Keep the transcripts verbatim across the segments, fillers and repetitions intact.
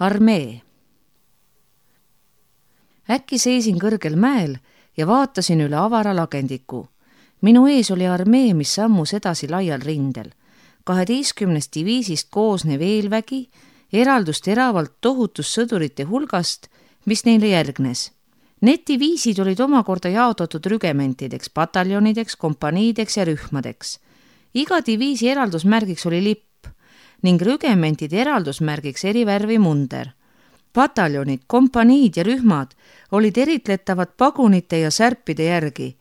Armee. Äkki seisin kõrgel mäel ja vaatasin üle avara lagendiku. Minu ees oli armee, mis sammus edasi laial rindel. kaheteistkümnest diviisist koosnev eelvägi eraldus teravalt tohutus sõdurite hulgast, mis neile järgnes. Need diviisid olid omakorda jaotatud rügementideks, pataljonideks, kompaniideks ja rühmadeks. Iga diviisi eraldusmärgiks oli lipp ning rügementide eraldusmärgiks eri värvi munder. Pataljonid, kompaniid ja rühmad olid eritletavad pagunite ja särpide järgi.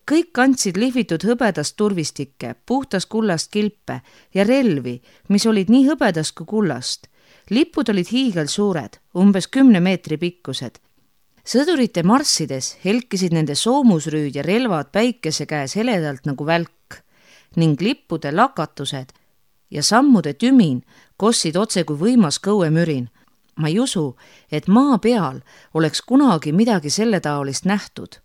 Kõik kandsid lihvitud hõbedast turvistikke, puhtast kullast kilpe ja relvi, mis olid nii hõbedast kui kullast. Lipud olid hiigel suured, umbes kümne meetri pikkused. Sõdurite marssides helkisid nende soomusrüüd ja relvad päikese käes heledalt nagu välk ning lippude lakatused ja sammude tümin kossid otse kui võimas kõuemürin. Ma ei usu, et maa peal oleks kunagi midagi selle taolist nähtud.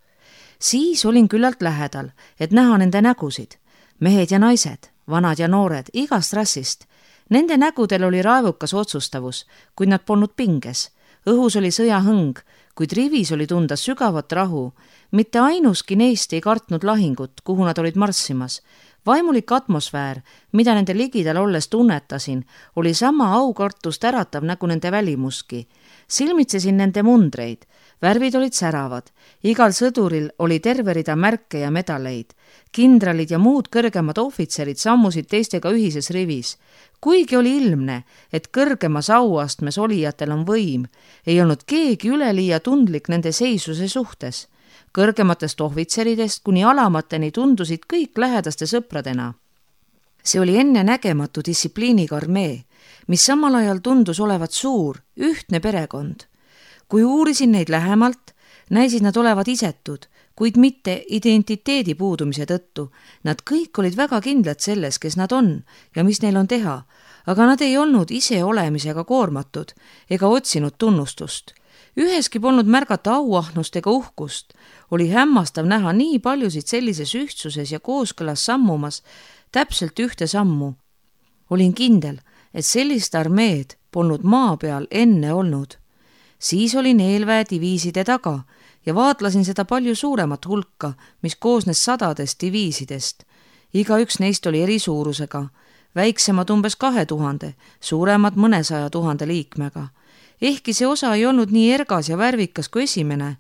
Siis olin küllalt lähedal, et näha nende nägusid. Mehed ja naised, vanad ja noored, igast rassist. Nende nägudel oli raevukas otsustavus, kuid nad polnud pinges. Õhus oli sõjahõng, kuid rivis oli tunda sügavat rahu. Mitte ainuski neist ei kartnud lahingut, kuhu nad olid marssimas. Vaimulik atmosfäär, mida nende ligidal olles tunnetasin, oli sama aukartust äratav nagu nende välimuski. Silmitsesin nende mundreid. Värvid olid säravad. Igal sõduril oli terve rida märke ja medaleid. Kindralid ja muud kõrgemad ohvitserid sammusid teistega ühises rivis. Kuigi oli ilmne, et kõrgemas auastmes olijatel on võim, ei olnud keegi üleliia tundlik nende seisuse suhtes. Kõrgematest ohvitseridest kuni alamateni tundusid kõik lähedaste sõpradena. See oli enne nägematu distsipliiniga armee, mis samal ajal tundus olevat suur, ühtne perekond. Kui uurisin neid lähemalt, näisid nad olevat isetud, kuid mitte identiteedi puudumise tõttu. Nad kõik olid väga kindlad selles, kes nad on ja mis neil on teha, aga nad ei olnud ise olemisega koormatud ega otsinud tunnustust. Üheski polnud märgata auahnust ega uhkust. Oli hämmastav näha nii paljusid sellises ühtsuses ja kooskõlas sammumas täpselt ühte sammu. Olin kindel, et sellist armeed polnud maa peal enne olnud. Siis olin eelväe diviiside taga ja vaatlasin seda palju suuremat hulka, mis koosnes sadadest diviisidest. Iga üks neist oli eri suurusega, väiksemad umbes kahe tuhande, suuremad mõnesaja tuhande liikmega. Ehkki see osa ei olnud nii ergas ja värvikas kui esimene,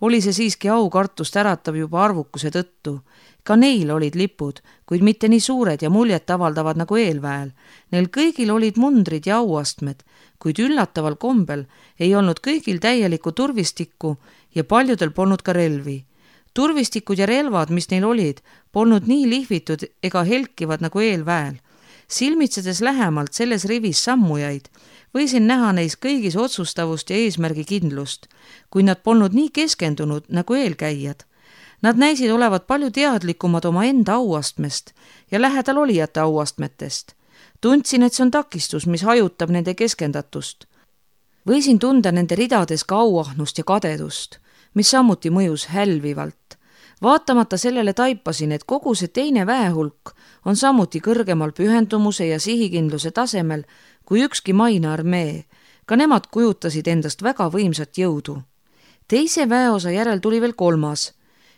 oli see siiski aukartust äratav juba arvukuse tõttu. Ka neil olid lipud, kuid mitte nii suured ja muljet avaldavad nagu eelväel. Neil kõigil olid mundrid ja auastmed, kuid üllataval kombel ei olnud kõigil täielikku turvistikku ja paljudel polnud ka relvi. Turvistikud ja relvad, mis neil olid, polnud nii lihvitud ega helkivad nagu eelväel. Silmitsedes lähemalt selles rivis sammujaid, võisin näha neis kõigis otsustavust ja eesmärgi kindlust, kui nad polnud nii keskendunud nagu eelkäijad. Nad näisid olevat palju teadlikumad oma enda auastmest ja lähedal olijate auastmetest. Tundsin, et see on takistus, mis hajutab nende keskendatust. Võisin tunda nende ridades ka auahnust ja kadedust, mis samuti mõjus hälvivalt. Vaatamata sellele taipasin, et kogu see teine väehulk on samuti kõrgemal pühendumuse ja sihikindluse tasemel kui ükski maine armee. Ka nemad kujutasid endast väga võimsat jõudu. Teise väeosa järel tuli veel kolmas,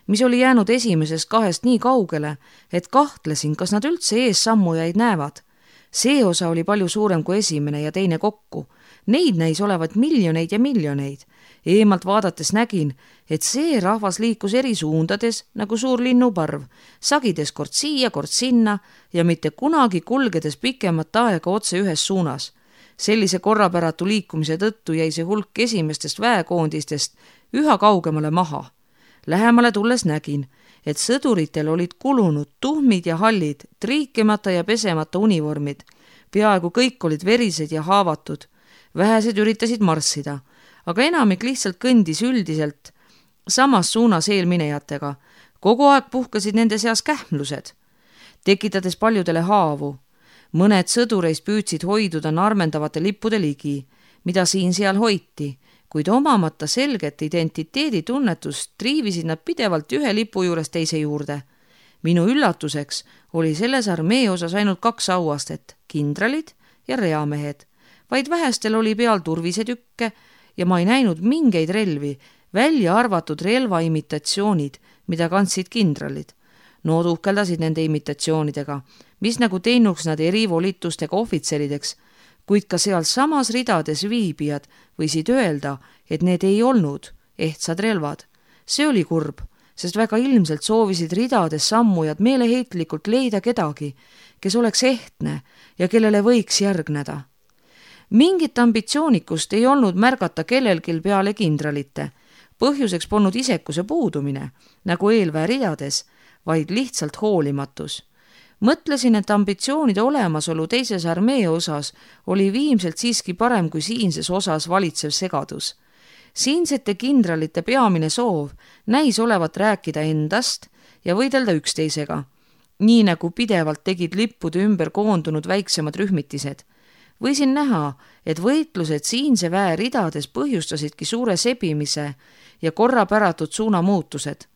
mis oli jäänud esimesest kahest nii kaugele, et kahtlesin, kas nad üldse ees sammujaid näevad. See osa oli palju suurem kui esimene ja teine kokku. Neid näis olevat miljoneid ja miljoneid. Eemalt vaadates nägin, et see rahvas liikus eri suundades nagu suur linnuparv, sagides kord siia, kord sinna ja mitte kunagi kulgedes pikemat aega otse ühes suunas. Sellise korrapäratu liikumise tõttu jäi see hulk esimestest väekoondistest üha kaugemale maha. Lähemale tulles nägin, et sõduritel olid kulunud tuhmid ja hallid, triikimata ja pesemata univormid. Peaaegu kõik olid verised ja haavatud. Vähesed üritasid marssida, aga enamik lihtsalt kõndis üldiselt samas suunas eelminejatega. Kogu aeg puhkasid nende seas kähmlused, tekitades paljudele haavu. Mõned sõdureist püüdsid hoiduda narmendavate lippude ligi, mida siin-seal hoiti, kuid omamata selget identiteeditunnetust triivisid nad pidevalt ühe lipu juures teise juurde. Minu üllatuseks oli selles armee osas ainult kaks auastet, kindralid ja reamehed. vaid vähestel oli peal turvisetükke ja ma ei näinud mingeid relvi, välja arvatud relva imitatsioonid, mida kandsid kindralid. Nood uhkeldasid nende imitatsioonidega, mis nagu teinuks nad erivolitustega ohvitserideks, kuid ka seal samas ridades viibijad võisid öelda, et need ei olnud ehtsad relvad. See oli kurb, sest väga ilmselt soovisid ridades sammujad meeleheitlikult leida kedagi, kes oleks ehtne ja kellele võiks järgneda. Mingit ambitsioonikust ei olnud märgata kellelgi peale kindralite. Põhjuseks polnud isekuse puudumine, nagu eelväe ridades, vaid lihtsalt hoolimatus. Mõtlesin, et ambitsioonide olemasolu teises armee osas oli viimselt siiski parem kui siinses osas valitsev segadus. Siinsete kindralite peamine soov näis olevat rääkida endast ja võidelda üksteisega, nii nagu pidevalt tegid lippude ümber koondunud väiksemad rühmitised. Võisin näha, et võitlused siinse väe ridades põhjustasidki suure sebimise ja korrapäratud suunamuutused.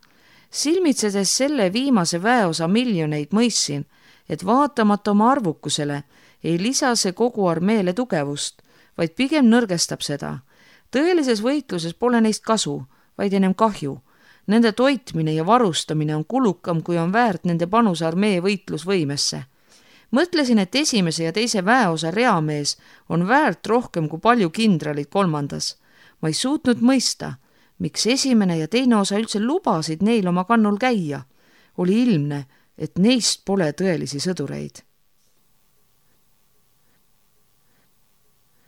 Silmitsedes selle viimase väeosa miljoneid mõistsin, et vaatamata oma arvukusele ei lisa see kogu armeele tugevust, vaid pigem nõrgestab seda. Tõelises võitluses pole neist kasu, vaid ennem kahju. Nende toitmine ja varustamine on kulukam, kui on väärt nende panus armee võitlusvõimesse. Mõtlesin, et esimese ja teise väeosa reamees on väärt rohkem kui palju kindralid kolmandas. Ma ei suutnud mõista, miks esimene ja teine osa üldse lubasid neil oma kannul käia. Oli ilmne, et neist pole tõelisi sõdureid.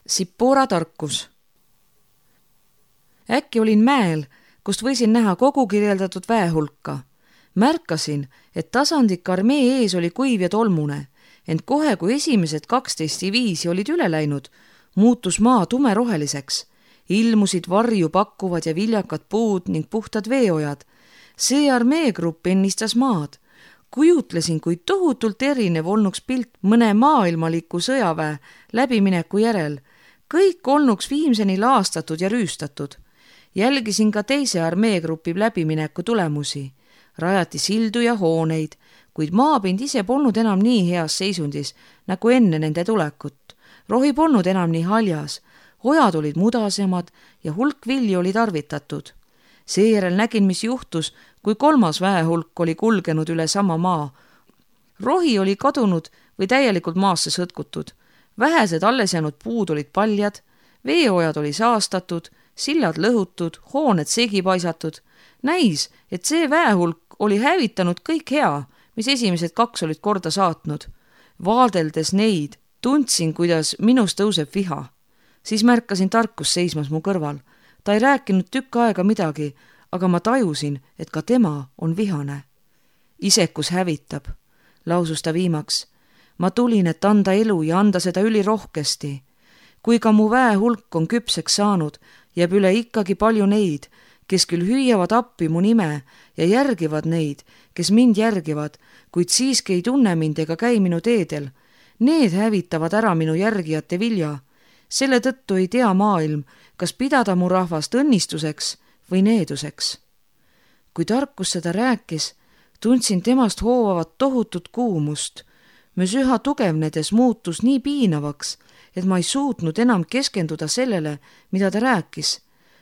Sippora tarkus. Äkki olin mäel, kust võisin näha kogu kirjeldatud väehulka. Märkasin, et tasandik armee ees oli kuiv ja tolmune, ent kohe, kui esimesed kaksteist diviisi olid üle läinud, muutus maa tumeroheliseks. Ilmusid varju pakkuvad ja viljakad puud ning puhtad veeojad. See armeegrupp ennistas maad. Kujutlesin, kui tohutult erinev olnuks pilt mõne maailmaliku sõjaväe läbimineku järel. Kõik olnuks viimseni laastatud ja rüüstatud. Jälgisin ka teise armeegrupi läbimineku tulemusi. Rajati sildu ja hooneid, kuid maapind ise polnud enam nii heas seisundis, nagu enne nende tulekut. Rohi polnud enam nii haljas. Ojad olid mudasemad ja hulk vilju oli tarvitatud. Seejärel nägin, mis juhtus, kui kolmas väehulk oli kulgenud üle sama maa. Rohi oli kadunud või täielikult maasse sõtkutud. Vähesed alles jäänud puud olid paljad, veeojad oli saastatud, sillad lõhutud, hooned segi paisatud. Näis, et see väehulk oli hävitanud kõik hea, mis esimesed kaks olid korda saatnud. Vaadeldes neid, tundsin, kuidas minus tõuseb viha. Siis märkasin tarkus seismas mu kõrval. Ta ei rääkinud tükk aega midagi, aga ma tajusin, et ka tema on vihane. Isekus hävitab, lausus ta viimaks. Ma tulin, et anda elu ja anda seda ülirohkesti. Kui ka mu väehulk on küpseks saanud, jääb üle ikkagi palju neid, kes küll hüüavad appi mu nime ja järgivad neid, kes mind järgivad, kuid siiski ei tunne mind ega käi minu teedel. Need hävitavad ära minu järgijate vilja. Selle tõttu ei tea maailm, kas pidada mu rahvast õnnistuseks või needuseks. Kui tarkus seda rääkis, tundsin temast hoovavat tohutut kuumust, mis üha tugevnedes muutus nii piinavaks, et ma ei suutnud enam keskenduda sellele, mida ta rääkis.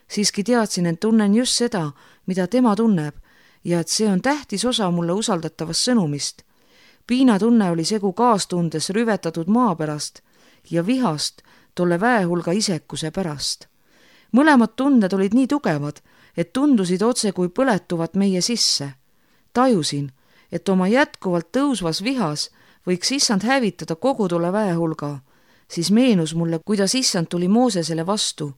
Siiski teadsin, et tunnen just seda, mida tema tunneb, ja et see on tähtis osa mulle usaldatavast sõnumist. Piinatunne oli segu kaastundes rüvetatud maa pärast ja vihast tolle väehulga isekuse pärast. Mõlemad tunded olid nii tugevad, et tundusid otse kui põletuvat meie sisse. Tajusin, et oma jätkuvalt tõusvas vihas võiks issand hävitada kogu tolle väehulga. Siis meenus mulle, kuidas issand tuli Moosesele vastu,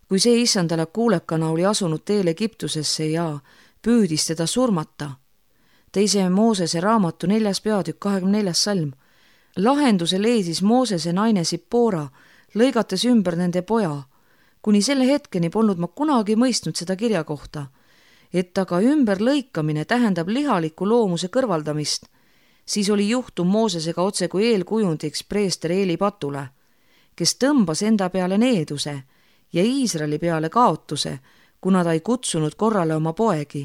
kui see issandale kuulekana oli asunud teel Egiptusesse ja püüdis teda surmata. Teise Moosese raamatu neljas peatükk kahekümne neljas salm. Lahenduse leidis Moosese naine Sippora, lõigates ümber nende poja. Kuni selle hetkeni polnud ma kunagi mõistnud seda kirja kohta, et aga ümberlõikamine tähendab lihaliku loomuse kõrvaldamist. Siis oli juhtum Moosesega otse kui eelkujundiks preester Eeli patule, kes tõmbas enda peale needuse ja Iisraeli peale kaotuse, kuna ta ei kutsunud korrale oma poegi.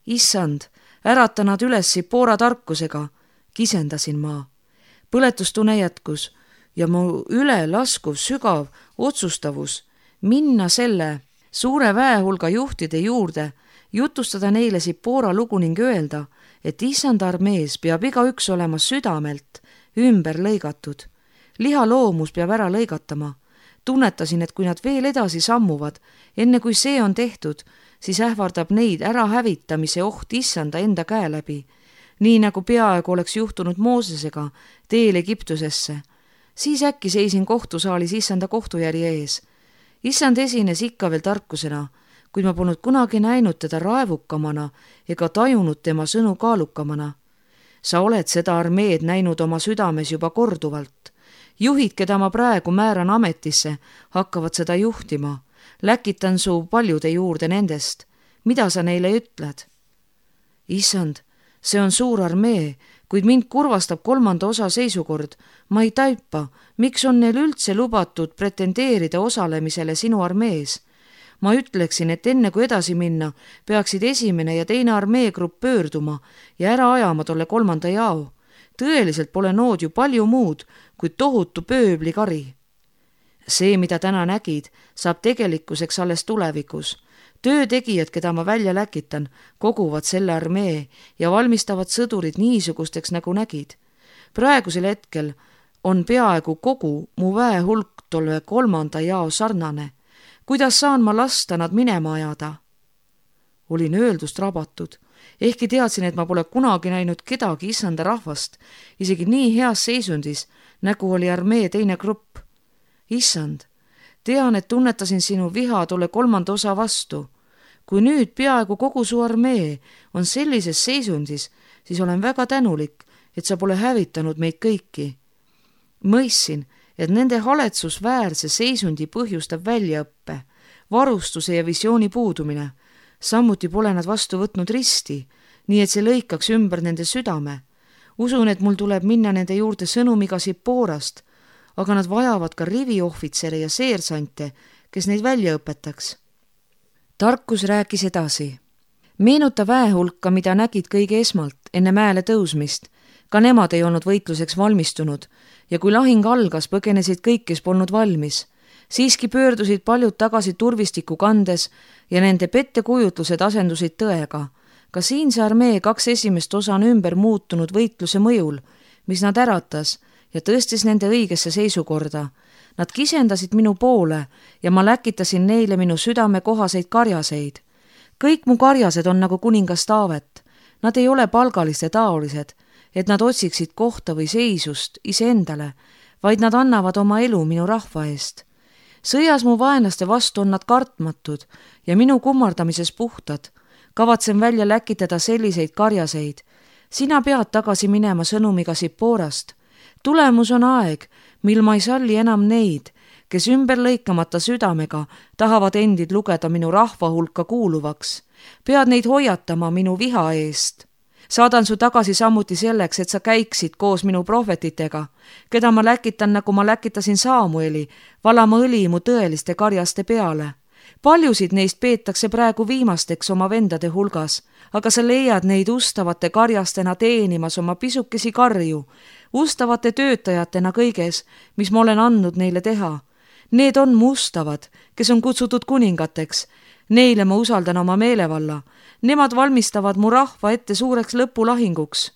Issand, ärata nad üles Sippora tarkusega, kisendasin ma. Põletustunne jätkus. ja mu ülelaskuv sügav otsustavus minna selle suure väehulga juhtide juurde, jutustada neile Sippora lugu ning öelda, et issand armees peab igaüks olema südamelt ümber lõigatud. Lihaloomus peab ära lõigatama. Tunnetasin, et kui nad veel edasi sammuvad, enne kui see on tehtud, siis ähvardab neid ära hävitamise oht issanda enda käe läbi, nii nagu peaaegu oleks juhtunud Moosesega teel Egiptusesse. Siis äkki seisin kohtusaalis issanda kohtujärje ees. Issand esines ikka veel tarkusena, kuid ma polnud kunagi näinud teda raevukamana ega tajunud tema sõnu kaalukamana. Sa oled seda armeed näinud oma südames juba korduvalt. Juhid, keda ma praegu määran ametisse, hakkavad seda juhtima. Läkitan su paljude juurde nendest. Mida sa neile ütled? Issand, see on suur armee, kuid mind kurvastab kolmanda osa seisukord. Ma ei taipa, miks on neil üldse lubatud pretendeerida osalemisele sinu armees. Ma ütleksin, et enne kui edasi minna, peaksid esimene ja teine armeegrupp pöörduma ja ära ajama tolle kolmanda jao. Tõeliselt pole nood ju palju muud kui tohutu pööblikari. See, mida täna nägid, saab tegelikkuseks alles tulevikus. Töötegijad, keda ma välja läkitan, koguvad selle armee ja valmistavad sõdurid niisugusteks, nagu nägid. Praegusel hetkel on peaaegu kogu mu väehulk tolle kolmanda jao sarnane. Kuidas saan ma lasta nad minema ajada? Olin öeldust rabatud. Ehkki teadsin, et ma pole kunagi näinud kedagi issanda rahvast, isegi nii heas seisundis, nagu oli armee teine grupp. Issand, tean, et tunnetasin sinu viha tolle kolmanda osa vastu. Kui nüüd peaaegu kogu su armee on sellises seisundis, siis olen väga tänulik, et sa pole hävitanud meid kõiki. Mõistsin, et nende haletsusväärse seisundi põhjustab väljaõppe, varustuse ja visiooni puudumine. Samuti pole nad vastu võtnud risti, nii et see lõikaks ümber nende südame. Usun, et mul tuleb minna nende juurde sõnumiga Sipporast, aga nad vajavad ka riviohvitsere ja seersante, kes neid välja õpetaks. Tarkus rääkis edasi. Meenuta väehulka, mida nägid kõige esmalt enne mäele tõusmist. Ka nemad ei olnud võitluseks valmistunud ja kui lahing algas, põgenesid kõik, kes polnud valmis. Siiski pöördusid paljud tagasi turvistiku kandes ja nende pettekujutlused asendusid tõega. Ka siinse armee kaks esimest osa on ümber muutunud võitluse mõjul, mis nad äratas ja tõstis nende õigesse seisukorda. Nad kisendasid minu poole ja ma läkitasin neile minu südame kohaseid karjaseid. Kõik mu karjased on nagu kuningas Taavet. Nad ei ole palgaliste taolised, et nad otsiksid kohta või seisust iseendale, vaid nad annavad oma elu minu rahva eest. Sõjas mu vaenlaste vastu on nad kartmatud ja minu kummardamises puhtad. Kavatsen välja läkitada selliseid karjaseid. Sina pead tagasi minema sõnumiga Sipporast. Tulemus on aeg, mil ma ei salli enam neid, kes ümber lõikamata südamega tahavad endid lugeda minu rahva hulka kuuluvaks. Pead neid hoiatama minu viha eest. Saadan su tagasi samuti selleks, et sa käiksid koos minu prohvetitega, keda ma läkitan, nagu ma läkitasin Saamueli, valama õli mu tõeliste karjaste peale. Paljusid neist peetakse praegu viimasteks oma vendade hulgas, aga sa leiad neid ustavate karjastena teenimas oma pisukesi karju, ustavate töötajatena kõiges, mis ma olen andnud neile teha. Need on mu ustavad, kes on kutsutud kuningateks. Neile ma usaldan oma meelevalla. Nemad valmistavad mu rahva ette suureks lõpulahinguks.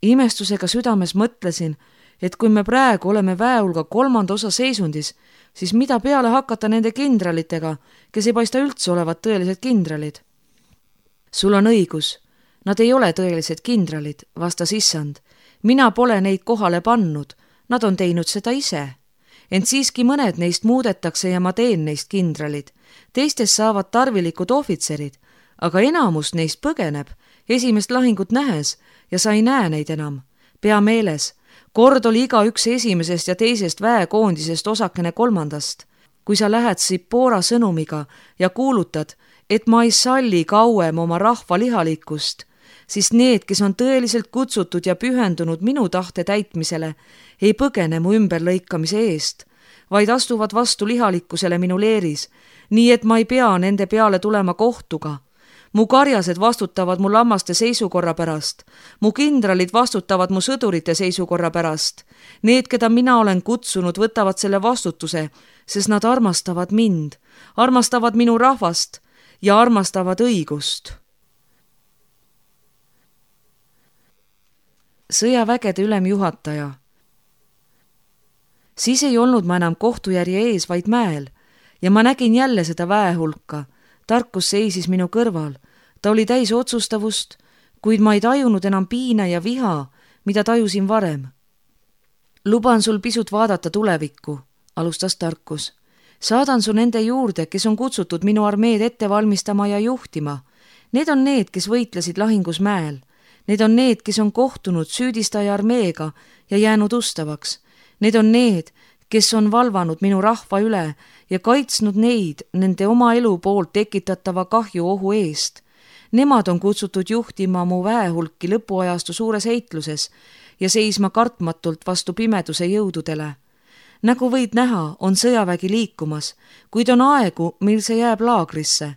Imestusega südames mõtlesin, et kui me praegu oleme väehulga kolmanda osa seisundis, siis mida peale hakata nende kindralitega, kes ei paista üldse olevat tõelised kindralid? Sul on õigus. Nad ei ole tõelised kindralid, vastas issand. Mina pole neid kohale pannud. Nad on teinud seda ise. Ent siiski mõned neist muudetakse ja ma teen neist kindralid. Teistest saavad tarvilikud ohvitserid, aga enamus neist põgeneb esimest lahingut nähes ja sa ei näe neid enam. Pea meeles, kord oli iga üks esimesest ja teisest väekoondisest osakene kolmandast. Kui sa lähed Sippora sõnumiga ja kuulutad, et ma ei salli kauem oma rahva lihalikkust, siis need, kes on tõeliselt kutsutud ja pühendunud minu tahte täitmisele, ei põgene mu ümberlõikamise eest, vaid astuvad vastu lihalikkusele minu leeris, nii et ma ei pea nende peale tulema kohtuga. mu karjased vastutavad mu lammaste seisukorra pärast, mu kindralid vastutavad mu sõdurite seisukorra pärast. Need, keda mina olen kutsunud, võtavad selle vastutuse, sest nad armastavad mind, armastavad minu rahvast ja armastavad õigust. Sõjavägede ülemjuhataja. Siis ei olnud ma enam kohtujärje ees, vaid mäel ja ma nägin jälle seda väehulka. Tarkus seisis minu kõrval. Ta oli täis otsustavust, kuid ma ei tajunud enam piina ja viha, mida tajusin varem. Luban sul pisut vaadata tulevikku, alustas Tarkus. Saadan su nende juurde, kes on kutsutud minu armeed ette valmistama ja juhtima. Need on need, kes võitlesid lahingus mäel. Need on need, kes on kohtunud süüdistaja armeega ja jäänud ustavaks. Need on need, kes on valvanud minu rahva üle ja kaitsnud neid nende oma elu poolt tekitatava kahju ohu eest. Nemad on kutsutud juhtima mu väehulki lõpuajastu suures heitluses ja seisma kartmatult vastu pimeduse jõududele. Nagu võid näha, on sõjavägi liikumas, kuid on aegu, mil see jääb laagrisse.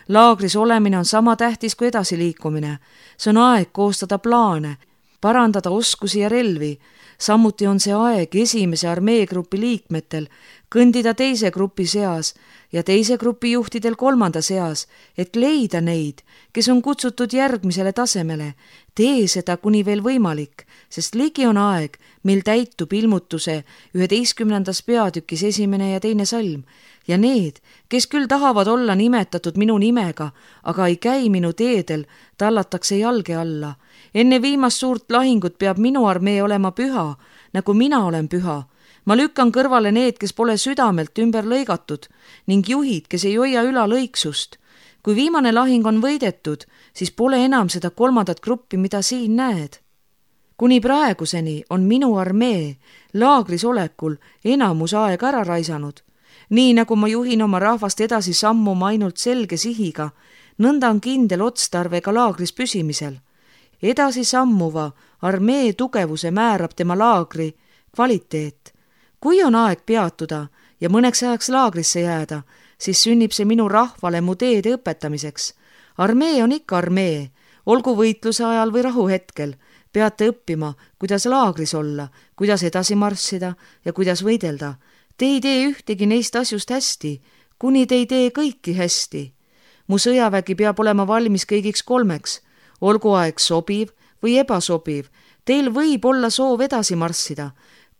Laagris olemine on sama tähtis kui edasiliikumine. See on aeg koostada plaane, parandada oskusi ja relvi. Samuti on see aeg esimese armeegrupi liikmetel kõndida teise grupi seas ja teise grupi juhtidel kolmanda seas, et leida neid, kes on kutsutud järgmisele tasemele. Tee seda kuni veel võimalik, sest ligi on aeg, mil täitub ilmutuse üheteistkümnendas peatükis esimene ja teine salm. Ja need, kes küll tahavad olla nimetatud minu nimega, aga ei käi minu teedel, tallatakse jalge alla. Enne viimast suurt lahingut peab minu armee olema püha, nagu mina olen püha. Ma lükkan kõrvale need, kes pole südamelt ümber lõigatud ning juhid, kes ei hoia üla lõiksust. Kui viimane lahing on võidetud, siis pole enam seda kolmandat gruppi, mida siin näed. Kuni praeguseni on minu armee laagris olekul enamus aeg ära raisanud. Nii nagu ma juhin oma rahvast edasi sammuma ainult selge sihiga, nõnda on kindel otstarve ka laagris püsimisel. Edasi sammuva armee tugevuse määrab tema laagri kvaliteet. Kui on aeg peatuda ja mõneks ajaks laagrisse jääda, siis sünnib see minu rahvale mu teede õpetamiseks. Armee on ikka armee, olgu võitluse ajal või rahuhetkel. Peate õppima, kuidas laagris olla, kuidas edasi marssida ja kuidas võidelda. Te ei tee ühtegi neist asjust hästi, kuni te ei tee kõiki hästi. Mu sõjavägi peab olema valmis kõigiks kolmeks, olgu aeg sobiv või ebasobiv. Teil võib olla soov edasi marssida,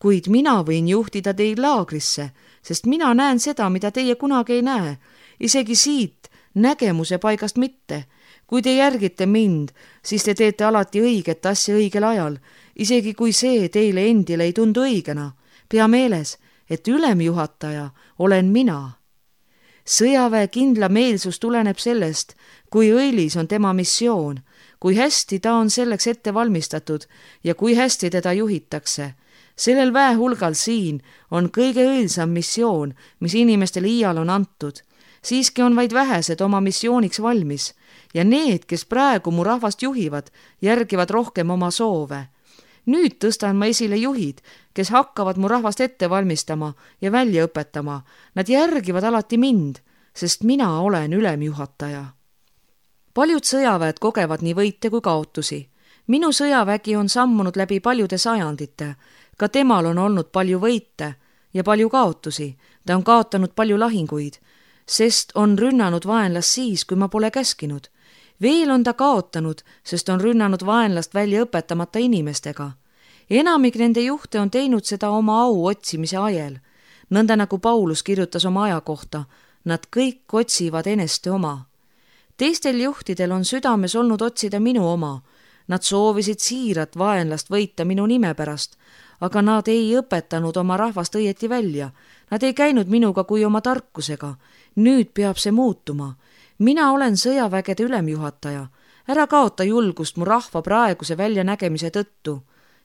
kuid mina võin juhtida teid laagrisse, sest mina näen seda, mida teie kunagi ei näe, isegi siit nägemuse paigast mitte. Kui te järgite mind, siis te teete alati õiget asja õigel ajal, isegi kui see teile endile ei tundu õigena. Pea meeles, et ülemjuhataja olen mina. Sõjaväe kindla meelsus tuleneb sellest, kui õilis on tema missioon, kui hästi ta on selleks ette valmistatud ja kui hästi teda juhitakse. Sellel väehulgal siin on kõige õilsam missioon, mis inimestele iial on antud. Siiski on vaid vähesed oma missiooniks valmis ja need, kes praegu mu rahvast juhivad, järgivad rohkem oma soove. Nüüd tõstan ma esile juhid, kes hakkavad mu rahvast ette valmistama ja välja õpetama. Nad järgivad alati mind, sest mina olen ülemjuhataja. Paljud sõjaväed kogevad nii võite kui kaotusi. Minu sõjavägi on sammunud läbi paljude sajandite. Ka temal on olnud palju võite ja palju kaotusi. Ta on kaotanud palju lahinguid, sest on rünnanud vaenlast siis, kui ma pole käskinud. Veel on ta kaotanud, sest on rünnanud vaenlast välja õpetamata inimestega. Enamik nende juhte on teinud seda oma au otsimise ajel. Nõnda nagu Paulus kirjutas oma aja kohta, nad kõik otsivad eneste oma. Teistel juhtidel on südames olnud otsida minu oma. Nad soovisid siirat vaenlast võita minu nime pärast, aga nad ei õpetanud oma rahvast õieti välja. Nad ei käinud minuga kui oma tarkusega. Nüüd peab see muutuma. Mina olen sõjavägede ülemjuhataja. Ära kaota julgust mu rahva praeguse väljanägemise tõttu.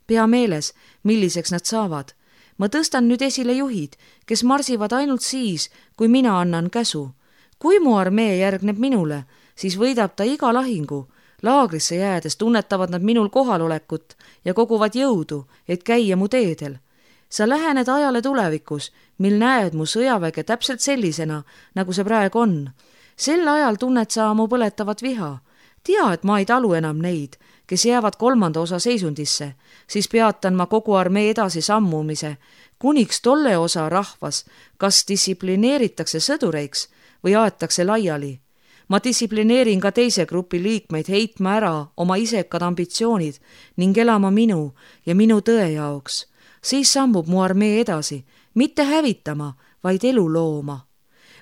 Pea meeles, milliseks nad saavad. Ma tõstan nüüd esile juhid, kes marsivad ainult siis, kui mina annan käsu. Kui mu armee järgneb minule, siis võidab ta iga lahingu. Laagrisse jäädes tunnetavad nad minul kohalolekut ja koguvad jõudu, et käia mu teedel. Sa lähened ajale tulevikus, mil näed mu sõjaväge täpselt sellisena, nagu see praegu on. sel ajal tunned sa mu põletavat viha. Tea, et ma ei talu enam neid, kes jäävad kolmanda osa seisundisse, siis peatan ma kogu armee edasi sammumise, kuniks tolle osa rahvas kas distsiplineeritakse sõdureiks või aetakse laiali. Ma distsiplineerin ka teise grupi liikmeid heitma ära oma isekad ambitsioonid ning elama minu ja minu tõe jaoks. Siis sammub mu armee edasi, mitte hävitama, vaid elu looma.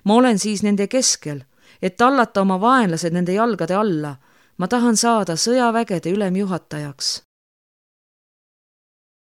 Ma olen siis nende keskel, et tallata oma vaenlased nende jalgade alla. Ma tahan saada sõjavägede ülemjuhatajaks.